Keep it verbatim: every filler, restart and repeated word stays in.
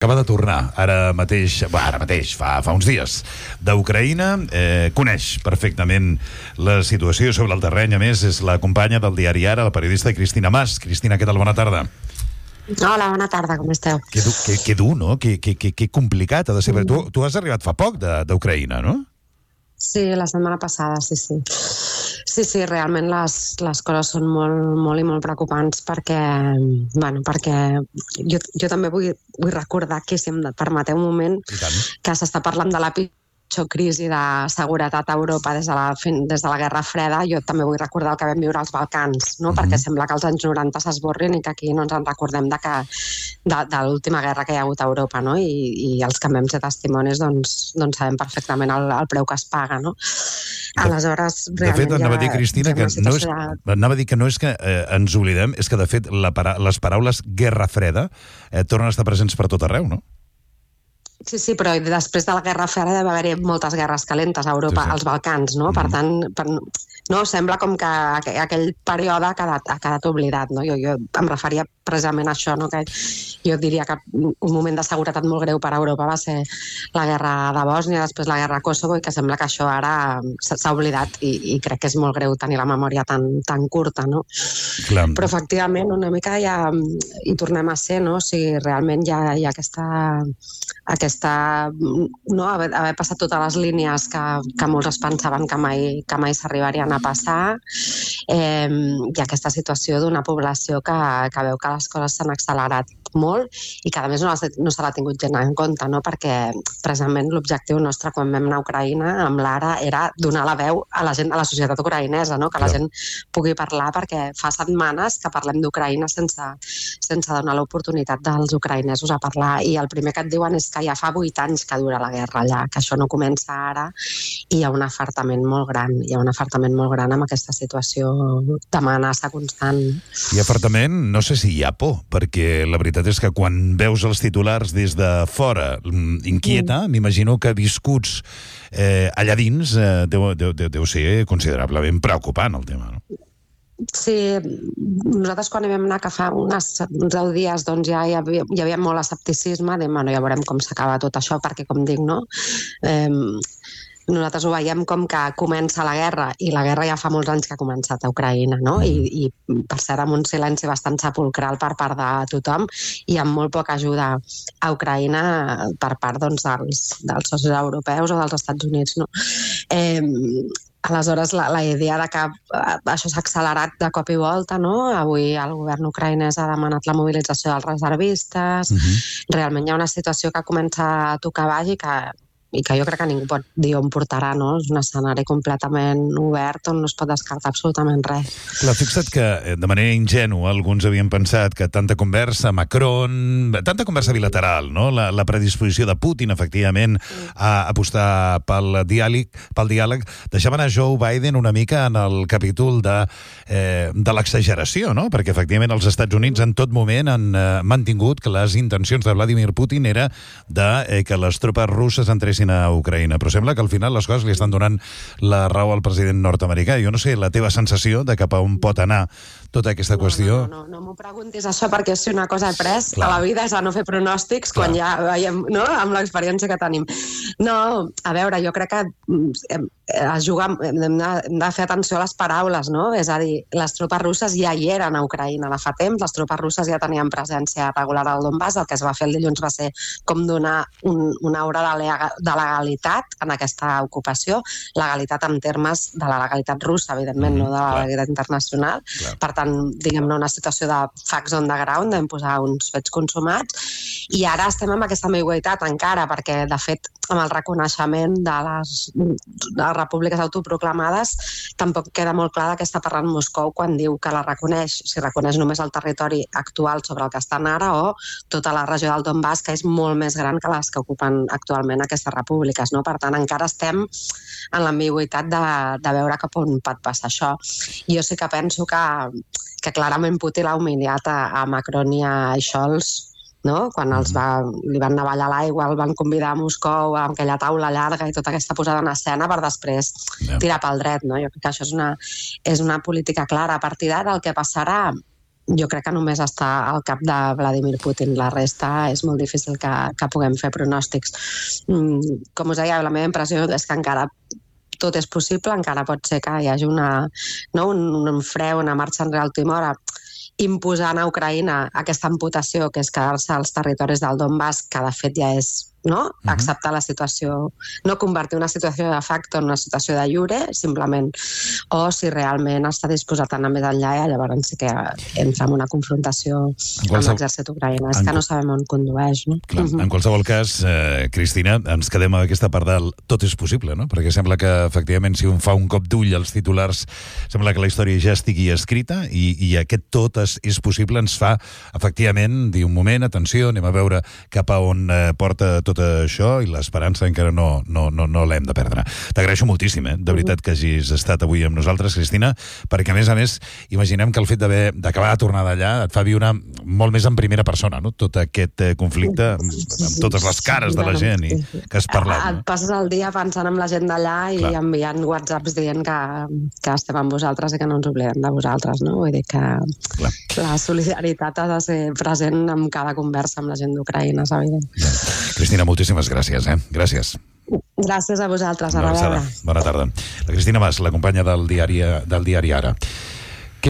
Acaba de tornar, ara mateix, bah, ara mateix, fa, fa uns dies, d'Ucraïna. Eh, coneix perfectament la situació sobre el terreny. A més, és la companya del diari Ara, la periodista Cristina Mas. Cristina, què tal? Bona tarda. Hola, bona tarda, com esteu? Que dur, que, que dur no? Que, que, que, que complicat ha de ser. Mm. Tu, tu has arribat fa poc d'Ucraïna, no? Sí, la setmana passada, sí, sí. Sí, sí, realment les, les coses són molt, molt i molt preocupants perquè, bueno, perquè jo, jo també vull, vull recordar que, si em permeteu un moment, que s'està parlant de la pitjor crisi de seguretat a Europa des de la, des de la Guerra Freda. Jo també vull recordar el que vam viure als Balcans, no? Mm-hmm. Perquè sembla que els anys noranta s'esborrin i que aquí no ens en recordem de, que, de, de l'última guerra que hi ha hagut a Europa, no? I, i els que vam ser testimonis doncs, doncs sabem perfectament el, el preu que es paga, no? Aleshores, de fet, anava a dir, Cristina, que no és, anava a dir que no és que eh, ens oblidem, és que de fet la para, les paraules Guerra Freda eh, tornen a estar presents per tot arreu, no? Sí, sí, però després de la Guerra Freda deve haver-hi moltes guerres calentes a Europa, sí, sí. Als Balcans, no? Mm-hmm. Per tant, per, no, sembla com que aquell període ha quedat, ha quedat oblidat, no? Jo, jo em referia precisament a això, no? Que jo diria que un moment de seguretat molt greu per a Europa va ser la guerra de Bòsnia, després la guerra a Kosovo, i que sembla que això ara s'ha oblidat, i, i crec que és molt greu tenir la memòria tan, tan curta, no? Clar. Però efectivament una mica ja hi tornem a ser, no? O sigui, realment hi ha, hi ha aquesta... aquesta, no, haver, haver passat totes les línies que, que molts es pensaven que mai, que mai s'arribarien a passar, eh, i aquesta situació d'una població que, que veu que les coses s'han accelerat molt i que a més no, no se l'ha tingut gent en compte, no? Perquè precisament l'objectiu nostre quan vam anar a Ucraïna amb l'Ara era donar la veu a la gent, a la societat ucraïnesa, no? Que la gent pugui parlar, perquè fa setmanes que parlem d'Ucraïna sense, sense donar l'oportunitat dels ucraïnesos a parlar, i el primer que et diuen és que ja fa vuit anys que dura la guerra allà, que això no comença ara, i hi ha un afartament molt gran, hi ha un afartament molt gran amb aquesta situació d'amenaça constant. I afartament, no sé si hi ha por, perquè la veritat és que quan veus els titulars des de fora inquieta, mm. m'imagino que viscuts eh, allà dins eh, deu, deu, deu, deu ser considerablement preocupant el tema, no? Sí, nosaltres quan hi vam anar, que fa unes, uns deu dies, doncs ja hi havia, hi havia molt escepticisme de, bueno, ja veurem com s'acaba tot això, perquè com dic, no? Eh, nosaltres ho veiem com que comença la guerra, i la guerra ja fa molts anys que ha començat a Ucraïna, no? I, i per cert, amb un silenci bastant sepulcral per part de tothom, i amb molt poca ajuda a Ucraïna per part, doncs, dels, dels socis europeus o dels Estats Units, no? Eh, Aleshores, la, la idea de que això s'ha accelerat de cop i volta, no? Avui el govern ucraïnès ha demanat la mobilització dels reservistes. Uh-huh. Realment hi ha una situació que comença a tocar baix i que, i que jo crec que ningú pot dir on portarà, no? És un escenari completament obert on no es pot descartar absolutament res. Clar, fixa't que de manera ingènua alguns havien pensat que tanta conversa Macron, tanta conversa bilateral, no? La, la predisposició de Putin, efectivament, a apostar pel diàleg, pel diàleg, deixaven a Joe Biden una mica en el capítol de, eh, de l'exageració, no? Perquè efectivament els Estats Units en tot moment han eh, mantingut que les intencions de Vladimir Putin era de eh, que les tropes russes entressin a Ucraïna, però sembla que al final les coses li estan donant la raó al president nord-americà. Jo no sé, la teva sensació de cap a on pot anar tota aquesta no, qüestió... No, no, no, no m'ho preguntis això, perquè si una cosa he pres Clar. A la vida és a no fer pronòstics. Clar. Quan ja veiem, no?, amb l'experiència que tenim. No, a veure, jo crec que es juga, hem de, hem de fer atenció a les paraules, no? És a dir, les tropes russes ja hi eren a Ucraïna de fa temps, les tropes russes ja tenien presència regular al Donbass. El que es va fer el dilluns va ser com donar un, una aura de, lega, de legalitat en aquesta ocupació, legalitat en termes de la legalitat russa, evidentment, mm, no de la clar. legalitat internacional. Clar. Per tant, diguem-ne, una situació de facts on the ground, vam posar uns fets consumats, i ara estem amb aquesta ambigüitat encara, perquè, de fet, amb el reconeixement de les, de les repúbliques autoproclamades, tampoc queda molt clar de què està parlant Moscou quan diu que la reconeix, si reconeix només el territori actual sobre el que estan ara o tota la regió del Donbass, que és molt més gran que les que ocupen actualment aquestes repúbliques, no? Per tant, encara estem en l'ambigüitat de, de veure cap on pot passar això. Jo sí que penso que, que clarament Putin l'ha humiliat a, a Macron i a Scholz, no? Quan els va, li van navallar l'aigua, el van convidar a Moscou amb aquella taula llarga i tota aquesta posada en escena per després tirar pel dret, no? Jo crec que això és una, és una política clara. A partir d'ara el que passarà, jo crec que només està al cap de Vladimir Putin. La resta és molt difícil que, que puguem fer pronòstics. Com us deia, la meva impressió és que encara tot és possible, encara pot ser que hi hagi una, no, un, un fre, una marxa enrere a última hora, imposant a Ucraïna aquesta amputació, que és quedar-se als territoris del Donbass, que de fet ja és, no? Uh-huh. Acceptar la situació, no convertir una situació de facto en una situació de lliure, simplement, o si realment està disposat a anar més enllà, i llavors sí que entra en una confrontació amb l'exèrcit ucraïnès, és que no sabem on condueix, no? Clar, uh-huh. En qualsevol cas, eh, Cristina, ens quedem amb aquesta part del tot és possible, no? Perquè sembla que, efectivament, si un fa un cop d'ull als titulars, sembla que la història ja estigui escrita, i, i aquest tot és, és possible ens fa, efectivament, dir un moment, atenció, anem a veure cap a on eh, porta tot això, i l'esperança encara no, no, no, no l'hem de perdre. T'agraeixo moltíssim, eh? De veritat, que hagis estat avui amb nosaltres, Cristina, perquè a més a més imaginem que el fet d'haver d'acabar de tornar d'allà et fa viure molt més en primera persona, no? Tot aquest eh, conflicte amb, amb totes les cares de la gent i que has parlat. No? Et passes el dia pensant en la gent d'allà i Clar. enviant whatsapps dient que, que estem amb vosaltres i que no ens oblidem de vosaltres, no? Vull dir que Clar. la solidaritat ha de ser present en cada conversa amb la gent d'Ucraïna, és evident. Ja. Cristina, moltíssimes gràcies, eh? Gràcies. Gràcies a vosaltres, a reveure. Bona tarda. La Cristina Mas, la companya del diari, del diari Ara.